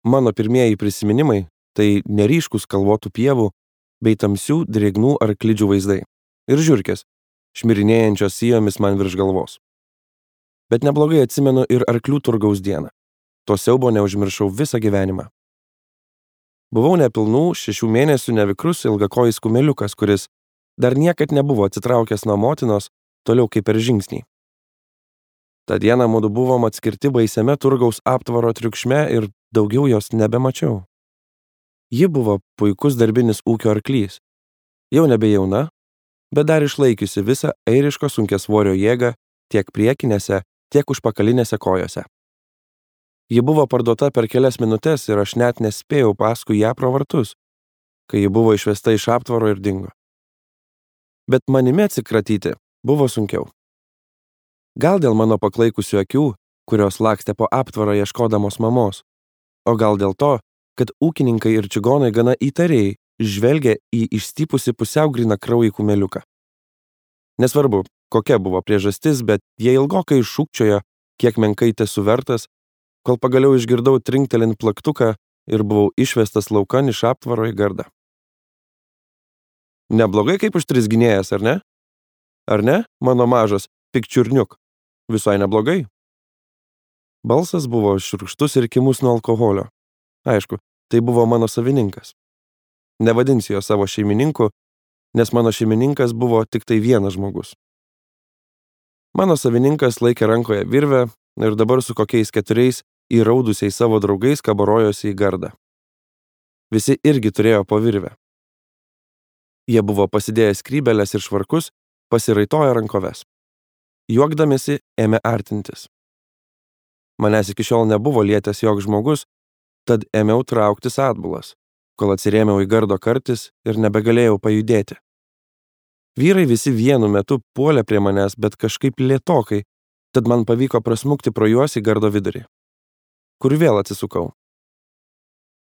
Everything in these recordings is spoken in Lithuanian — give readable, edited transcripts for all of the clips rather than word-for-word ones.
Mano pirmieji prisiminimai tai neryškus kalvotų pievų bei tamsių drėgnų arklidžių vaizdai ir žiurkės, šmirinėjančios sijomis man virš galvos. Bet neblogai atsimenu ir arklių turgaus dieną. To siaubo neužmiršau visą gyvenimą. Buvau nepilnų 6 mėnesių nevikrus ilgakojis kumeliukas, kuris dar niekad nebuvo atsitraukęs nuo motinos toliau kaip per žingsnį. Ta diena mudu buvom atskirti baisiame turgaus aptvaro triukšme ir daugiau jos nebemačiau. Ji buvo puikus darbinis ūkio arklys, jau nebejauna, bet dar išlaikiusi visą airiško sunkiasvorio jėgą tiek priekinėse, tiek užpakalinėse kojose. Ji buvo parduota per kelias minutes ir aš net nespėjau paskui ją pro vartus, kai ji buvo išvesta iš aptvaro ir dingo. Bet manimi atsikratyti buvo sunkiau. Gal dėl mano paklaikusių akių, kurios lakstė po aptvarą ieškodamos mamos, o gal dėl to, kad ūkininkai ir čigonai gana įtariai žvelgia į išstypusi pusiau grynakraujį kumeliuką. Nesvarbu, kokia buvo priežastis, bet jie ilgokai šūkčiojo, kiek menkai tesu vertas, kol pagaliau išgirdau trinktelint plaktuką ir buvau išvestas laukan iš aptvaro į gardą. Neblogai kaip užtrisginėjęs, ar ne? Ar ne, mano mažas pikčiurniuk? Visai neblogai. Balsas buvo šiurkštus ir kimus nuo alkoholio. Aišku, tai buvo mano savininkas. Nevadinsiu jo savo šeimininku, nes mano šeimininkas buvo tik tai vienas žmogus. Mano savininkas laikė rankoje virvę ir dabar su kokiais 4 įraudusiais savo draugais kabarojosi į gardą. Visi irgi turėjo po virvę. Jie buvo pasidėję skrybėles ir švarkus, pasiraitoję rankoves. Juokdamėsi ėmė artintis. Manęs iki šiol nebuvo lietęs joks žmogus, tad ėmiau trauktis atbulas, kol atsirėmiau į gardo kartis ir nebegalėjau pajudėti. Vyrai visi vienu metu puolė prie manęs, bet kažkaip lėtokai, tad man pavyko prasmukti pro juos į gardo vidurį, kur vėl atsisukau.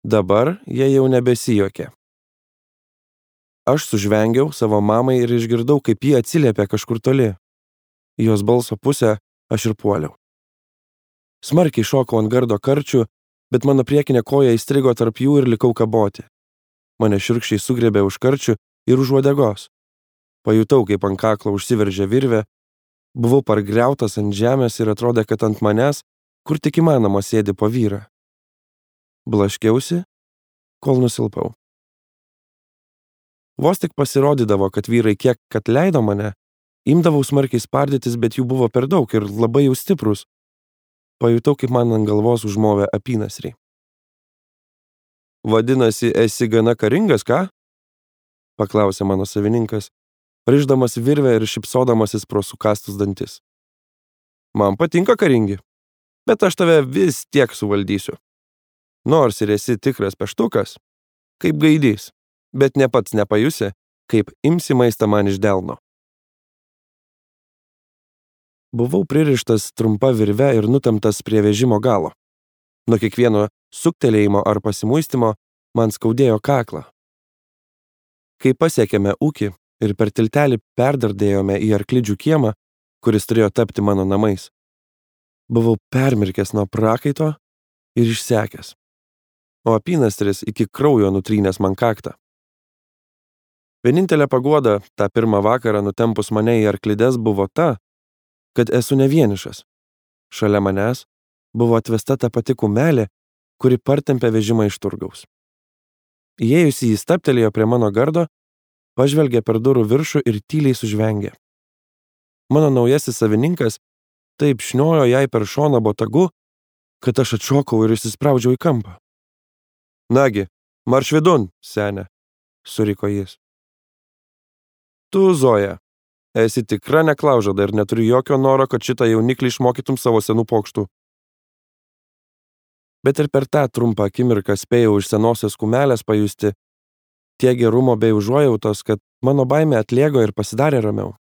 Dabar jie jau nebesijokė. Aš sužvengiau savo mamai ir išgirdau, kaip ji atsiliepė kažkur toli. Į jos balso pusę aš ir puoliau. Smarkiai šokau ant gardo karčių, bet mano priekinė koja įstrigo tarp jų ir likau kaboti. Mane šiurkščiai sugriebė už karčių ir už uodegos. Pajutau, kaip ant kaklo užsiveržė virvė, buvau pargriautas ant žemės ir atrodė, kad ant manęs, kur tik įmanoma, sėdi po vyrą. Blaškiausi, kol nusilpau. Vos tik pasirodydavo, kad vyrai kiek kad leido mane, imdavau smarkiai spardytis, bet jų buvo per daug ir labai jau stiprus. Pajutau, kaip man ant galvos užmovė apynasrį. Vadinasi, esi gana karingas, ką? Paklausė mano savininkas, rišdamas virvę ir šypsodamasis pro sukąstus dantis. Man patinka karingi, bet aš tave vis tiek suvaldysiu. Nors ir esi tikras peštukas, kaip gaidys, bet ne pats nepajusi, kaip imsi maistą man iš delno. Buvau pririštas trumpa virve ir nutemptas prie vežimo galo. Nuo kiekvieno suktelėjimo ar pasimuistimo man skaudėjo kaklą. Kai pasiekėme ūkį ir per tiltelį perdardėjome į arklidžių kiemą, kuris turėjo tapti mano namais, buvau permirkęs nuo prakaito ir išsekęs, o apynastris iki kraujo nutrynęs man kaktą. Vienintelė paguoda tą pirmą vakarą nutempus mane į arklides buvo ta, kad esu ne vienišas. Šalia manęs buvo atvesta ta pati kumelė, kuri partempė vežimą iš turgaus. Įėjusi jį stabtelėjo prie mano gardo, pažvelgė per durų viršų ir tyliai sužvengė. Mano naujasis savininkas taip šniojo jai per šoną botagu, kad aš atšokau ir įsispraudžiau į kampą. Nagi, marš vidun, senė, suriko jis. Tu, Zoja, esi tikra neklaužada ir neturiu jokio noro, kad šitą jauniklį išmokytum savo senų pokštų. Bet ir per tą trumpą akimirką spėjau iš senosios kumelės pajusti tiek gerumo bei užuojautos, kad mano baimė atlėgo ir pasidarė ramiau.